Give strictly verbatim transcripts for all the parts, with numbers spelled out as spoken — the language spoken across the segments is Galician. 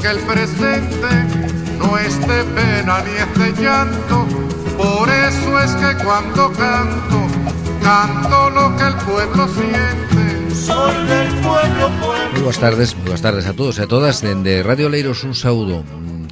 que el presente no es de pena ni es de llanto. Por eso es que cuando canto, canto lo que el pueblo siente. Soy del pueblo, pueblo. Moi boas tardes, moi boas tardes a todos e a todas. Dende Radio Oleiros un saúdo.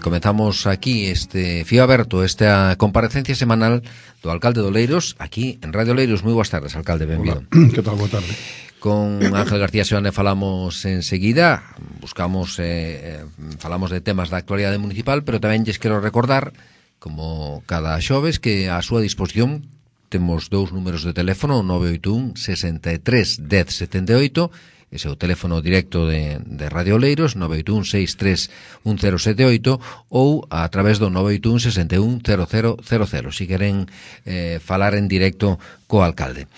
Comezamos aquí este fío aberto, esta comparecencia semanal do alcalde de Oleiros, aquí en Radio Oleiros. Moi boas tardes, alcalde, benvido. Hola, que tal, boa tarde. Con Ángel García Seoane falamos enseguida, buscamos, eh, falamos de temas da actualidade municipal, pero tamén lles quero recordar, como cada xoves, que a súa disposición temos dous números de teléfono, nove oito un, sesenta e tres, dez, setenta e oito, ese é o teléfono directo de, de Radio Oleiros, nove oito un, seis tres un cero sete oito, ou a través do nove oito un, sesenta e un, cero cero cero cero, si queren eh, falar en directo co alcalde.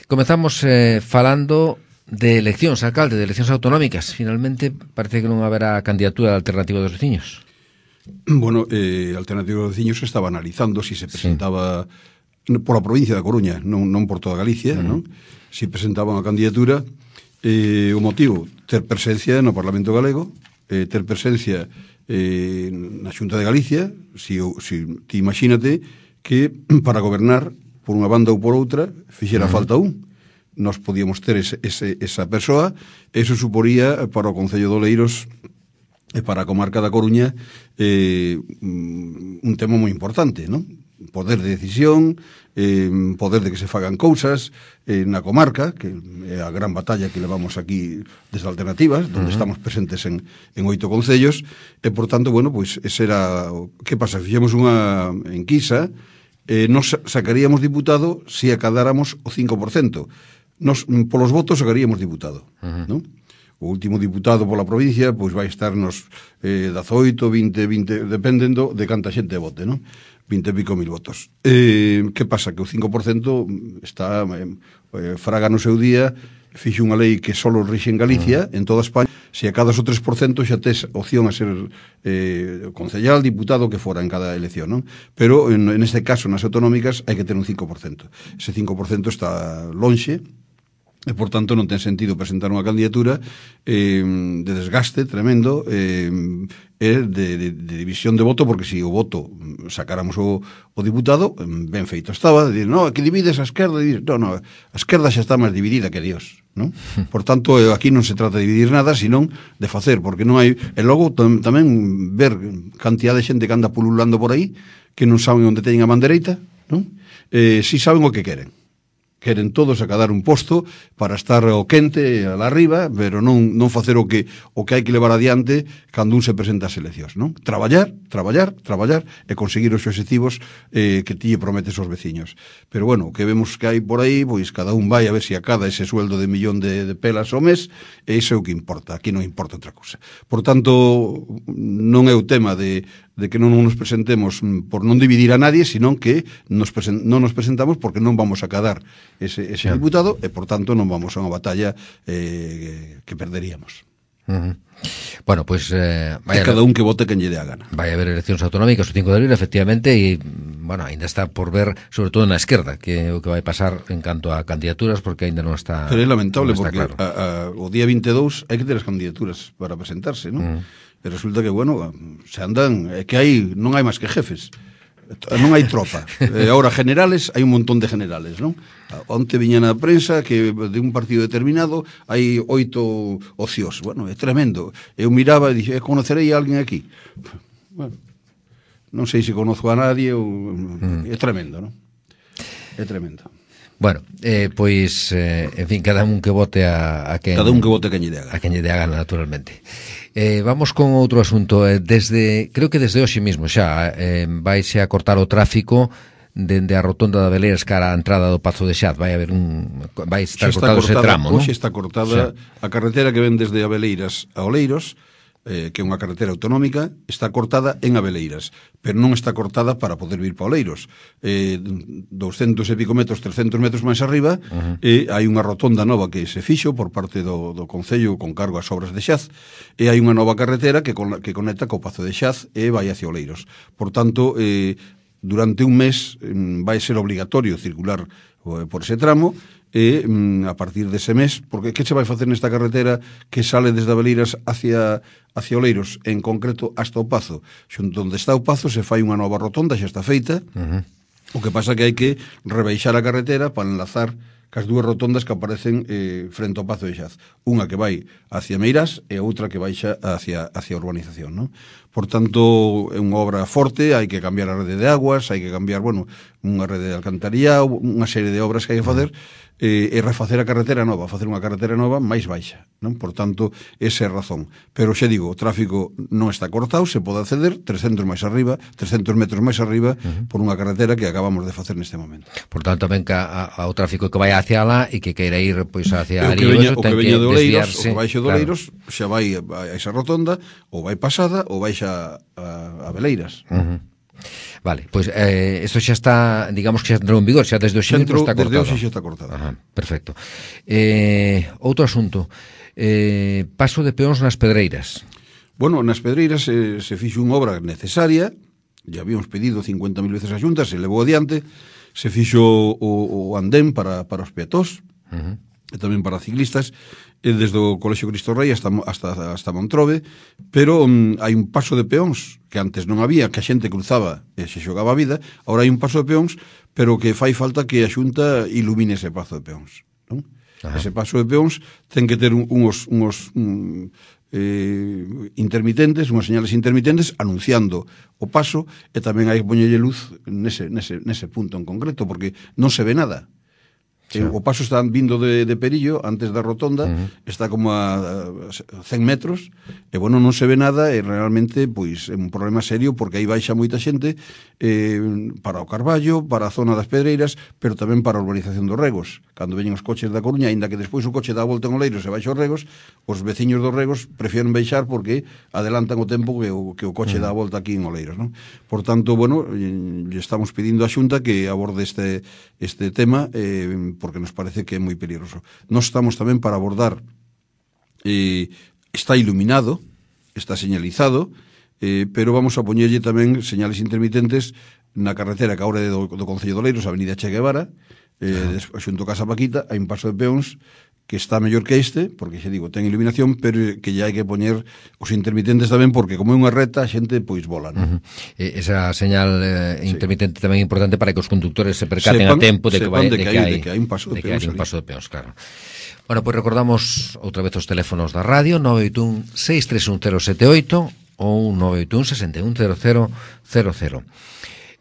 Comezamos eh, falando de eleccións, alcalde, de eleccións autonómicas. Finalmente, parece que non haberá candidatura de Alternativa dos Veciños. Bueno, eh, Alternativa dos Veciños estaba analizando si se presentaba sí. por a provincia da Coruña, non, non por toda Galicia, uh-huh. non? Si presentaba unha candidatura. Eh, o motivo, ter presencia no Parlamento Galego, eh, ter presencia eh, na Xunta de Galicia. Si, si ti imagínate que para gobernar por unha banda ou por outra fixera uh-huh. falta un, nós podíamos ter ese, ese, esa persoa. Eso suporía para o Concello de Oleiros e para a comarca da Coruña eh, un tema moi importante, non? Poder de decisión, eh, poder de que se fagan cousas eh, na comarca, que é a gran batalla que levamos aquí desde Alternativas, donde uh-huh. estamos presentes en, en oito concellos, e, por tanto, bueno, pois, ese era... Que pasa? Fixemos unha enquisa, eh, nos sacaríamos diputado se acadáramos o cinco por cento. Nos, polos votos, sacaríamos diputado, uh-huh. non? O último diputado pola provincia, pois vai estar nos eh, dezaoito, vinte, vinte, dependendo de canta xente vote, non? vinte e pico mil votos. Eh, que pasa? Que o cinco por cento está eh, fraga no seu día, fixo unha lei que só rixe en Galicia, uh-huh. en toda España. Se acadas o tres por cento xa tes opción a ser eh, concellal, diputado, que fora en cada elección, non? Pero en, en este caso, nas autonómicas, hai que ter un cinco por cento. Ese cinco por cento está lonxe, e, por tanto, non ten sentido presentar unha candidatura eh, de desgaste tremendo eh, e de, de, de división de voto, porque se si o voto sacáramos o, o diputado, ben feito estaba, de dir, no, que divides a esquerda, e no, no, a esquerda xa está máis dividida que Dios, non? Por tanto, aquí non se trata de dividir nada, senón de facer, porque non hai... E logo tam, tamén ver cantidad de xente que anda pululando por aí, que non saben onde teñen a man dereita, non? Eh, si saben o que queren. Queren todos acadar un posto para estar ao quente a la arriba, pero non, non facer o que o que hai que levar adiante cando un se presenta ás eleccións, non? Traballar, traballar, traballar e conseguir os obxectivos eh, que ti prometes aos veciños. Pero bueno, o que vemos que hai por aí, pois cada un vai a ver se acada ese sueldo de millón de, de pelas ao mes, e iso é o que importa, aquí non importa outra cousa. Por tanto, non é o tema de de que non nos presentemos por non dividir a nadie, senón que nos presen, non nos presentamos porque non vamos a cadar ese, ese diputado, e, por tanto, non vamos a unha batalla eh, que perderíamos. Uh-huh. Bueno, pois... Pues, eh, vaya, cada un que vote quen lle dé a gana. Vai haber eleccións autonómicas o cinco de abril, efectivamente, e, bueno, ainda está por ver, sobre todo na esquerda, que o que vai pasar en canto a candidaturas, porque ainda non está... Pero é lamentable, porque claro. a, a, o día vinte e dous hai que ter as candidaturas para presentarse, non? Uh-huh. E resulta que, bueno, se andan, é que hai, non hai máis que jefes, non hai tropa. E agora, generales, hai un montón de generales, non? Onte viña na prensa que de un partido determinado hai oito ocios. Bueno, é tremendo. Eu miraba e dixo, conocerei a alguén aquí? Bueno, non sei se conozco a nadie ou... Mm. É tremendo, non? É tremendo. Bueno, eh, pois, eh, en fin, cada un que vote a, a quen... Cada un que vote a quen lle dé a gana. A quen lle dé a gana, naturalmente. Eh, vamos con outro asunto. Eh, desde, creo que desde hoxe mismo xa eh, vaise a cortar o tráfico dende a rotonda de Abeleiras cara á entrada do Pazo de Xaz. Vai haber un... Vai estar cortado ese tramo, non? Hoxe está cortada a carretera que ven desde Abeleiras a Oleiros, eh, que é unha carretera autonómica, está cortada en Abeleiras, pero non está cortada para poder vir para Oleiros. Eh, doscientos e pico metros, trescentos metros máis arriba, uh-huh. eh, hai unha rotonda nova que se fixo por parte do, do Concello con cargo ás obras de Xaz, e hai unha nova carretera que, con, que conecta co Pazo de Xaz e vai hacia Oleiros. Por tanto, eh, durante un mes vai ser obligatorio circular por ese tramo, e a partir dese mes, porque que se vai facer nesta carretera que sale desde Abeleiras hacia, hacia Oleiros, en concreto hasta o Pazo? Xunto onde está o Pazo se fai unha nova rotonda, xa está feita, uh-huh. O que pasa que hai que rebaixar a carretera para enlazar cas dúas rotondas que aparecen eh, frente ao Pazo de Xaz. Unha que vai hacia Meirás e outra que baixa hacia, hacia a urbanización, non? Por tanto, é unha obra forte, hai que cambiar a rede de aguas, hai que cambiar, bueno, unha rede de alcantarillado, unha serie de obras que hai que facer, eh, e refacer a carretera nova, facer unha carretera nova máis baixa, non? Por tanto, esa é a razón. Pero xa digo, o tráfico non está cortado, se pode acceder trescentos máis arriba, trescentos metros máis arriba, uh-huh. por unha carretera que acabamos de facer neste momento. Por tanto, ven que ao tráfico que vai hacia lá e que queira ir pois hacia ali, o que veña, o que veña de Oleiros, o que baixo de Oleiros, claro. Xa vai a esa rotonda, ou vai pasada, ou vai xa a, a Beleiras. Uh-huh. Vale, pois pues, eh, isto xa está, digamos que xa entrou en vigor, xa desde o xe entrou, está cortado. Desde o xa está cortado. Ajá, perfecto. Eh, outro asunto, eh, paso de peóns nas Pedreiras. Bueno, nas Pedreiras se, se fixo unha obra necesaria, ya habíamos pedido cincuenta mil veces a Xunta, se levou adiante, se fixo o, o andén para, para os peatós, uh-huh. e tamén para ciclistas, e desde o Colexio Cristo Rei hasta, hasta, hasta Montrobe, pero um, hai un paso de peóns que antes non había, que a xente cruzaba e se xogaba a vida, agora hai un paso de peóns, pero que fai falta que a Xunta ilumine ese paso de peóns, non? Ese paso de peóns ten que ter unhos, unhos un, eh, intermitentes, unhas señales intermitentes anunciando o paso, e tamén hai que poñerlle luz nese, nese, nese punto en concreto, porque non se ve nada. Sí. O paso está vindo de, de Perillo, antes da rotonda, uh-huh. está como a, a cen metros, e bueno, non se ve nada, e realmente, pois, é un problema serio, porque aí baixa moita xente eh, para o Carballo, para a zona das Pedreiras, pero tamén para a urbanización dos Regos. Cando veñen os coches da Coruña, aínda que despois o coche dá a volta en Oleiros e baixa os Regos, os veciños dos Regos prefieren baixar porque adelantan o tempo que o, que o coche uh-huh. dá a volta aquí en Oleiros, non? Por tanto, bueno, lle estamos pedindo á Xunta que aborde este, este tema, eh, porque nos parece que é moi peligroso. Nós estamos tamén para abordar, eh, está iluminado, está señalizado, eh, pero vamos a poñerlle tamén señales intermitentes na carretera que agora é do, do Concello de Oleiros, a Avenida Che Guevara, eh, xunto a Casa Paquita, hai un paso de peóns que está mellor que este, porque xa digo, ten iluminación, pero que ya hai que poñer os intermitentes tamén, porque como é unha reta, a xente pois vola, non? Uh-huh. Esa señal eh, intermitente sí. tamén é importante para que os conductores se percaten sepan, a tempo de que, vai, de, de, que hai, de que hai un paso de, de peóns. Un paso de peóns, claro. Bueno, pois pues recordamos outra vez os teléfonos da radio, nove oito un, seis tres un, cero sete oito ou nove oito un, seis un, cero cero cero cero.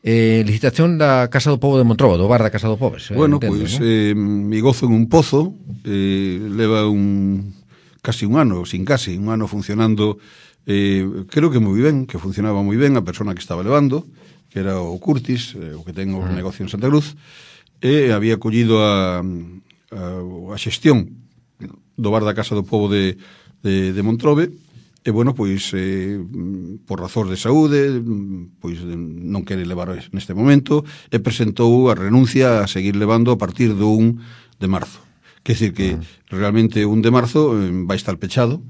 Eh, licitación da Casa do Pobo de Montrobo, do bar da Casa do Pobo. Bueno, pois, pues, ¿no? eh, mi gozo en un pozo, eh, leva un casi un ano, sin casi, un ano funcionando, eh, creo que moi ben, que funcionaba moi ben, a persona que estaba levando, que era o Curtis, eh, o que ten o uh-huh. negocio en Santa Cruz, e había collido a, a, a xestión do bar da Casa do Pobo de, de, de Montrobe. E, bueno, pois, eh, por razóns de saúde, pois non quere levar neste momento, e presentou a renuncia a seguir levando a partir do un de marzo. Quer dizer que, uh-huh. realmente, un de marzo eh, vai estar pechado,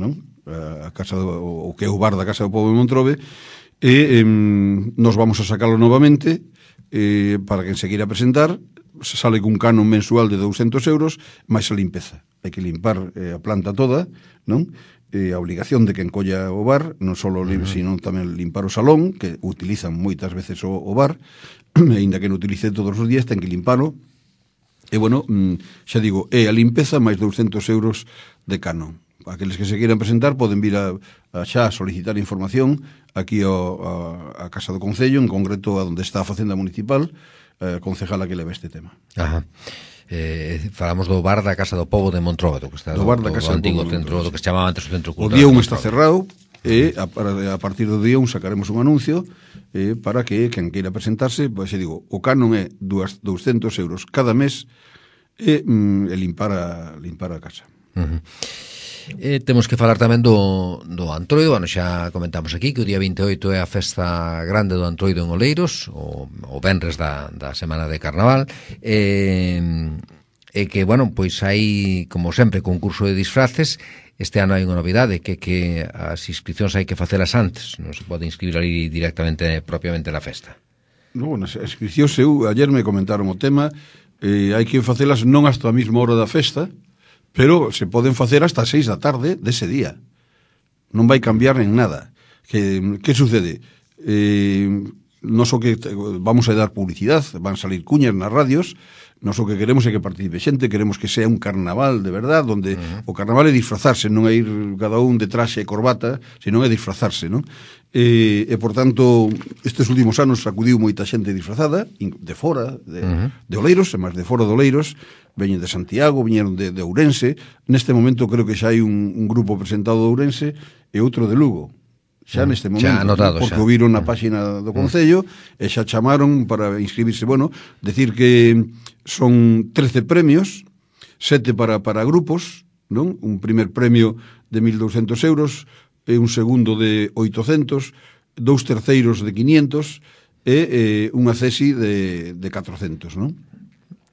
non? A casa do, o que é o bar da Casa do Pobo de Montrobe, e eh, nos vamos a sacalo novamente, eh, para que enseguida presentar, se sale cun canon mensual de douscentos euros, máis a limpeza. Hai que limpar eh, a planta toda, non? Eh, a obligación de que encolla o bar, non só uh-huh. sino tamén limpar o salón, que utilizan moitas veces o, o bar, e ainda que non utilice todos os días, ten que limpalo. E, bueno, xa digo, é a limpeza máis douscentos euros de canon. Aqueles que se queiran presentar poden vir a, a xa solicitar información aquí ao, a, a Casa do Concello, en concreto a onde está a Facenda Municipal, a concejala que leva este tema. Ajá. Eh, falamos do bar da Casa do Pobo de Montrobe, do que está do, do bar da Casa do, do antigo centro, do que se chamaba antes o Centro Cultural. O día un está cerrado, e a, a partir do día un sacaremos un anuncio eh, para que quen queira presentarse, pois se digo, o canon é douscentos euros cada mes e, mm, e limpar a limpar a casa. Uh-huh. Eh, temos que falar tamén do, do Antroido. Bueno, xa comentamos aquí que o día vinte e oito é a festa grande do Antroido en Oleiros, o, o venres da, da semana de Carnaval, e, e que, bueno, pois hai, como sempre, concurso de disfraces. Este ano hai unha novidade, que que as inscripcións hai que facelas antes, non se pode inscribir ali directamente, propiamente na festa. No, bueno, as inscripcións, eu, ayer me comentaron o tema, eh, hai que facelas non hasta a mesma hora da festa, pero se poden facer hasta as seis da tarde dese día. Non vai cambiar en nada. Que, que sucede? Eh, non so que vamos a dar publicidade, van salir cuñas nas radios, nós o que queremos é que participe xente, queremos que sea un carnaval de verdad, onde uh-huh. o carnaval é disfrazarse, non é ir cada un de traxe e corbata, senón é disfrazarse, non? E, e por tanto, estes últimos anos acudiu moita xente disfrazada, de fora, de, uh-huh. de Oleiros, e máis de fora de Oleiros, veñen de Santiago, viñeron de, de Ourense, neste momento creo que xa hai un, un grupo presentado de Ourense e outro de Lugo, xa neste momento, xa anotado, porque xa. o viron na páxina do Concello e xa chamaron para inscribirse. Bueno, decir que son trece premios, sete para, para grupos, non? Un primer premio de mil douscentos euros, e un segundo de oitocentos, dous terceiros de quinientos e eh, unha cesi de, de catrocentos, non?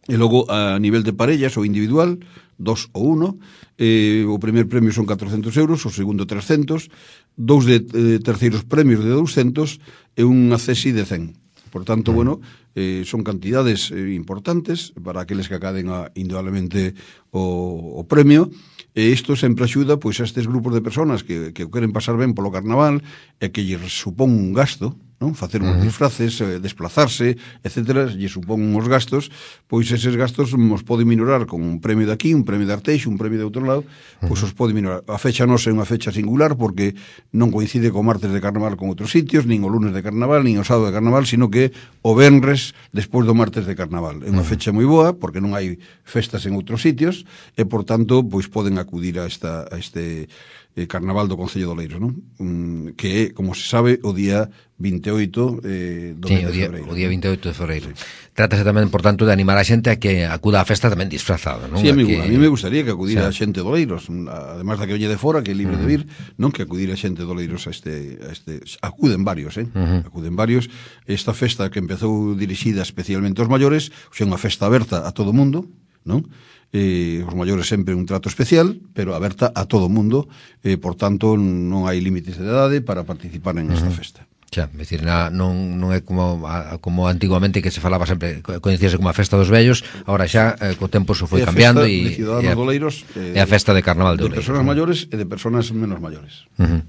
E logo, a nivel de parellas ou individual, dos ou uno, eh, o primer premio son catrocentos euros, o segundo trescentos, dous de eh, terceiros premios de douscentos e unha cesi de cen. Por tanto, bueno, eh, son cantidades eh, importantes para aqueles que acaden a, indudablemente o, o premio, e isto sempre axuda pois a estes grupos de personas que, que queren pasar ben polo carnaval e que lle supón un gasto, non? Facer uns disfraces, eh, desplazarse, etcétera, lle supón uns gastos, pois eses gastos nos pode minorar con un premio de aquí, un premio de Arteixo, un premio de outro lado, pois os pode minorar. A fecha non é unha fecha singular porque non coincide co martes de carnaval con outros sitios, nin o lunes de carnaval, nin o sábado de carnaval, sino que o venres despois do martes de carnaval. É unha fecha moi boa porque non hai festas en outros sitios e, por tanto, pois poden acudir a, esta, a este eh, carnaval do Concello de Oleiros, non? Um, que é, como se sabe, o día vinte e oito eh, do sí, mes o de día, febreiro. O día vinte e oito de febreiro. Sí. Trátase tamén, por tanto, de animar a xente a que acuda á festa tamén disfrazada, non? Sí, a mí, que... a mí me gustaría que acudira sí. a xente de Oleiros, además da que veñe de fora, que é libre uh-huh. de vir, non que acudira a xente de Oleiros a este, a este... Acuden varios, eh? Uh-huh. Acuden varios. Esta festa que empezou dirixida especialmente aos maiores, xa unha festa aberta a todo o mundo, non? Eh, os maiores sempre un trato especial, pero aberta a todo o mundo, eh, por tanto non hai límites de idade para participar en esta uh-huh. festa. Xa, é dicir, na, non, non é como a, como antiguamente que se falaba sempre, coñecíase como a festa dos vellos, agora xa eh, co tempo se foi é cambiando e é eh, a festa de carnaval de, de Oleiros, personas maiores e de personas menos maiores. Uh-huh.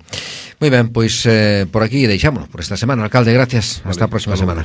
Moi ben, pois eh, por aquí deixámonos por esta semana, alcalde, gracias, vale, hasta a próxima semana.